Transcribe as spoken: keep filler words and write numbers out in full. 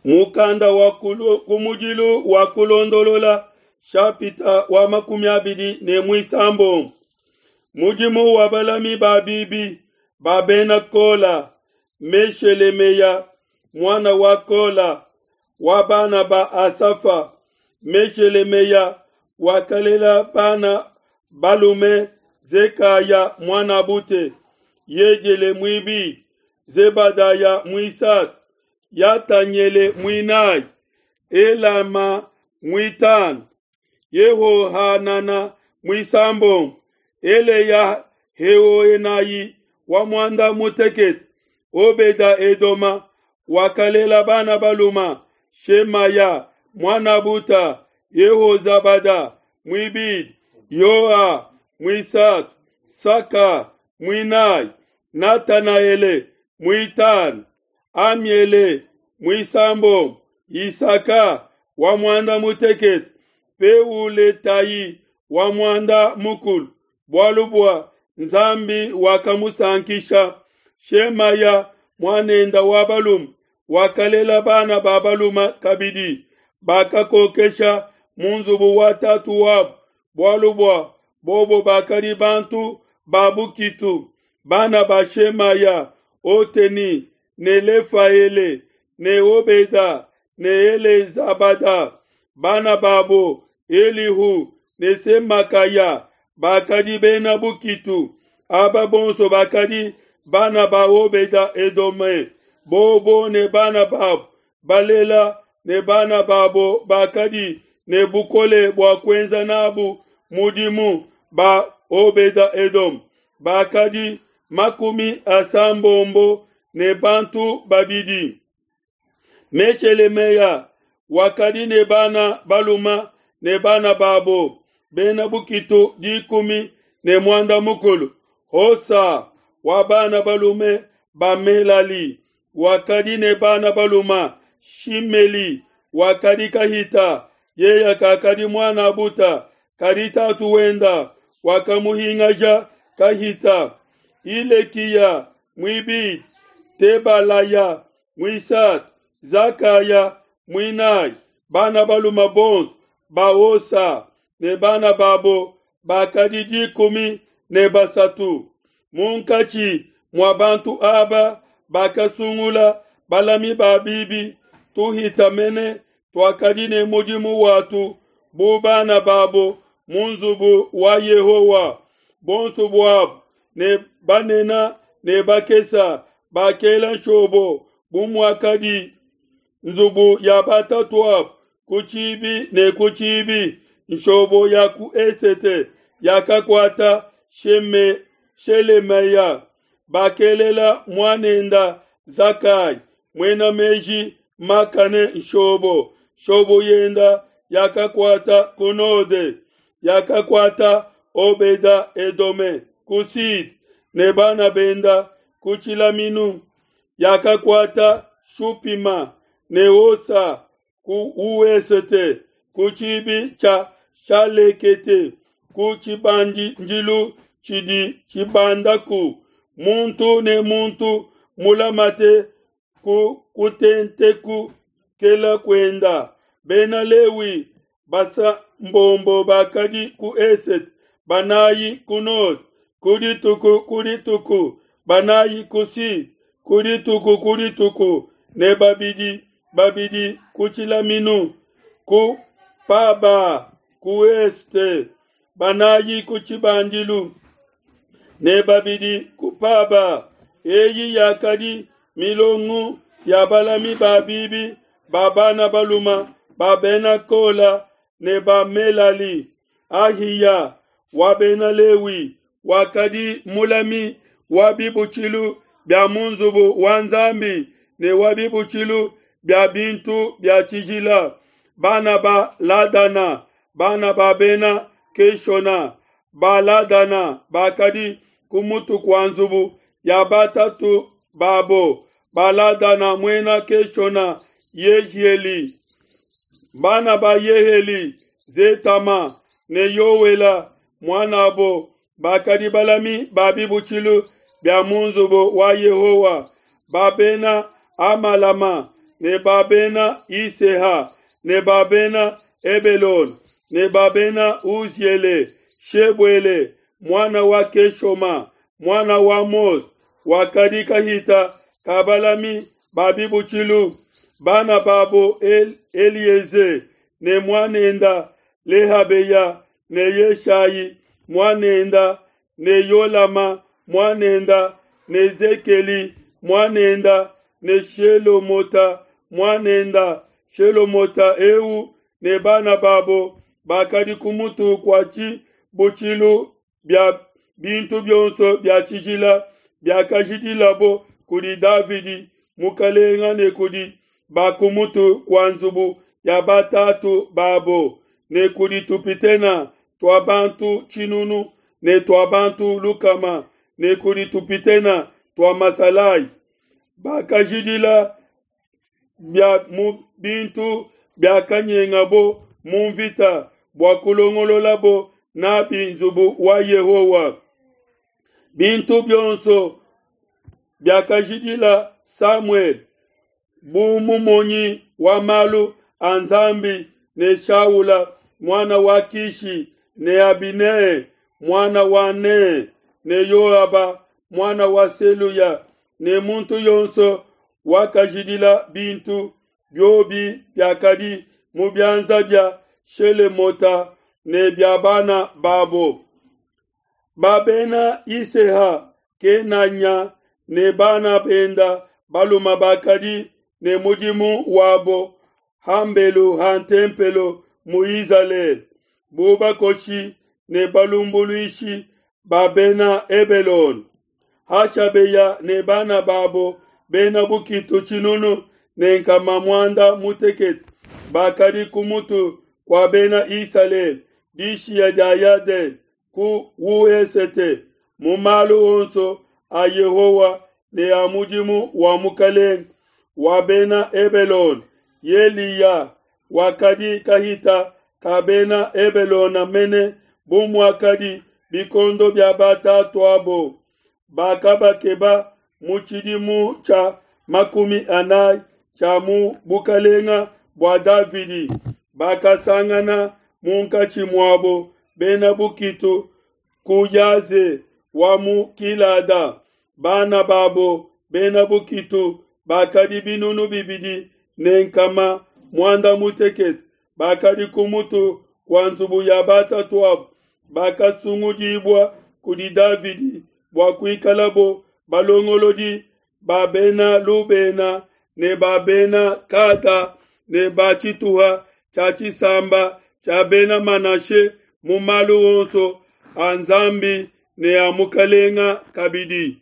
Mukanda wa kumudilu wa kulondolola shapita wa makumi abidi ne muisambombo. Mudimu wa balami ba bibi ba bena Kola, Meshelemeya mwana wa Kola wa bana ba Asafa. Meshelemeya wakalela bana balume Zekaya mwanabute, Yediele mwibidi, Zebadaya mwisatu, Yatanyele mwinayi, Elama mwitano, Yehohanana mwisambombo, Eleya Heoenayi wa mwanda mutekete, Obeda Edoma wakalela bana baluma Shemaya mwanabuta, Yehozabada mwibidi, Yoa mwisatu, Saka mwinayi, Natanaele mwitano, Amiele mwisambombo, Isaka wa mwanda mutekete, Peuletayi wa mwanda mukulu, bwalu bwa Nzambi wakamusankisha. Shemaya mwanenda wa balume wakalela bana ba baluma kabidi bakakokesha mu nzubu wa tatu wabu, bwalu bwa bobo bakali bantu ba bukitu. Bana ba Shemaya Oteni ne Lefaele ne Obeda ne Elezabada. Bana babo Elihu ne Semakaya bakadi bena bukitu. Aba bonso bakadi bana ba Obeda Edome. Bobo ne bana babo balela ne bana babo bakadi ne bukole bua kuenza nabu mudimu ba Obeda Edom bakadi makumi asambombo ne bantu babidi. Meshelemeya wakadi ne bana baluma ne bana babo bena bukitu dikumi ne mwanda mukulu. Hosa wa bana balume ba Melali wakadi ne bana baluma Shimeli wakadi kahita, yeya kakadi mwana buta kadi tatu wenda wakamuhingaja kahita. Ilekiya mwibidi, Tebalaya mwisatu, Zakaya mwinayi. Bana baluma bonso ba ne bana babo bakadi dikumi ne basatu. Munkachi mwa bantu aba bakasungula balami ba bibi tuhita mene twakadi ne mudimu watu bu bana babo mu nzubu wa Yehowa. Bonso bwabo ne banena ne bakesa bakela nshobo bu mwakadi nzubu ya batatu abo ku tshibi ne ku tshibi. Nshobo ya ku esete yakakwata Sheme Shelemeya. Bakelela mwanenda Zakai mwena meji makane nshobo. Shobo yenda yakakwata kunode yakakwata Obeda Edome kusid ne bana benda kuchilaminu yakakwata Shupima ne Osa ku uesete kuchibi cha Shalekete ku chibanjilu chidi chibandaku muntu ne muntu mulamate ku kutenteku kela kwenda. Bena Lewi basa mbombo bakadi ku eset banayi ku nord kudituku kudituku banayi ku sud kudituku kudituku ne babidi babidi kuchilaminu ku paba ku este banayi ku chibandilu ne babidi ku paba. Eyi yakadi milongu ya balami ba bibi ba bana baluma ba bena Kola ne ba Melali. Ahiya wa bena Lewi wakadi mulami wa bibutshilu bya mu nzubu wa Nzambi ne wa bibutshilu bya bintu bya tshijila. Bana ba Ladana bana ba bena Keshona ba Ladana bakadi ku mutu kwa nzubu ya batatu babo. Ba Ladana mwena Keshona Yehieli. Bana ba Yeheli Zetama ne Yowela mwanabo bakadi balami ba bibutshilu bya mu nzubu wa Yehowa. Ba bena Amalama ne ba bena Iseha ne ba bena Hebelone ne ba bena Uziele, Shebuele muana wa Keshoma muana wa Mose wakadi kahita ka balami ba bibutshilu, bana babo El Elieze ne muanenda Lehabeya ne Yeshayi muanenda ne Yolama muanenda ne Zekeli muanenda ne Shelomota muanenda Shelomota eu ne bana babo bakadi ku mutu kua tshibutshilu bia bintu bionso bia tshijila biakajidilabo kudi Davidi mukalenga ne kudi ba ku mutu kua nzubu ya batatu babo ne kudi tupitena tua bantu tshinunu ne tua bantu lukama ne kudi tupitena tua masalayi. Bakajidila bia mu bintu biakanyengabo mu mvita bua kulongololabo nabi nzubu wa Yehowa. Bintu bionso biakajidila Samuele bu mumonyi wa malu a Nzambi ne Shaula muana wa Kishi ne Abine muana wa Ne ne Yoaba muana wa Seluya ne muntu yonso wakajidila bintu biobi biakadi mu bianza bia Shelemota ne bia bana babo. Ba bena Iseha Kenanya ne bana benda baluma bakadi ne mudimu wabo hambelu ha ntempelo mu Izalele bu bakoshi ne balumbuluishi ba bena Hebelone. Hashabeya ne bana babo bena bukitu tshinunu ne nkama muanda mutekete bakadi ku mutu kua bena Isalele dishiya dia Yadene ku wesete mu malu onso a Yehowa ne a mudimu wa mukalenge wa bena Hebelone. Yeliya wakadi kahita ka bena Hebelone mene bu muakadi bikondo bia batatuabo. Bakabakeba mu tshidimu tshia makumi anayi tshia mu bukalenga bua Davidi. Bakasangana munkatshi muabo bena bukitu ku Yaze wa mu Kilada. Bana babo bena bukitu bakadi binunu bibidi ne nkama muanda mutekete bakadi ku mutu kua nzubu ya batatuabo bakasungudibua kudi Davidi bua kuikalabo balongolodi ba bena Lubena ne ba bena Gada ne ba tshituha tshia tshisamba tshia bena Manashe mu malu onso a Nzambi ne a mukalenga kabidi.